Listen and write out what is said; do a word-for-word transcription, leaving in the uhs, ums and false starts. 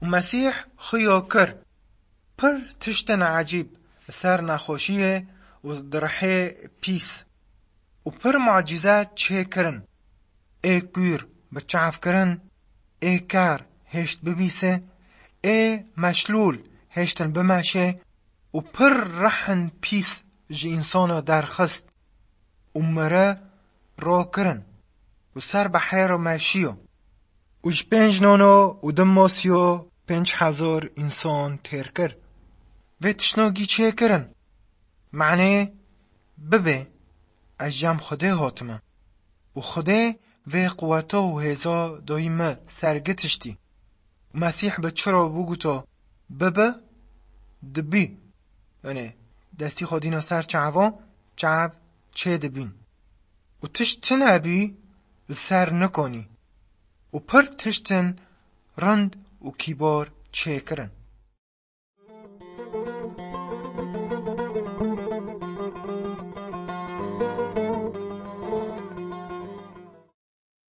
Û Mesîh xuya kir pir tiştin ecîb li ser nexweşiyê û di rihê pîs û pir mucîze çêkirin. Ê kûr bi çav kirin, ê kar hêşt bibîse, ê meşlûl hêştin bimeşe û pir rihin pîs ji însana derxist û mire rakirin û ser behêra meşiyo û ji pênc nono û du mosiyo pênc hezar însan têr kir. Vê tiştnagî çêkirin. Manê bibe ez cem Xwedê hatime. Û Xwedê vê quweta û hêza dayî me sergi tiştî. Û Mesîh bi çi re bû guta bibe, dibî. Yanê destî xwe dîna ser çavan, çav çê dibîn. Û tişt tune bî li ser nikonî. Û pir tiştin rind û kîbar çêkirin.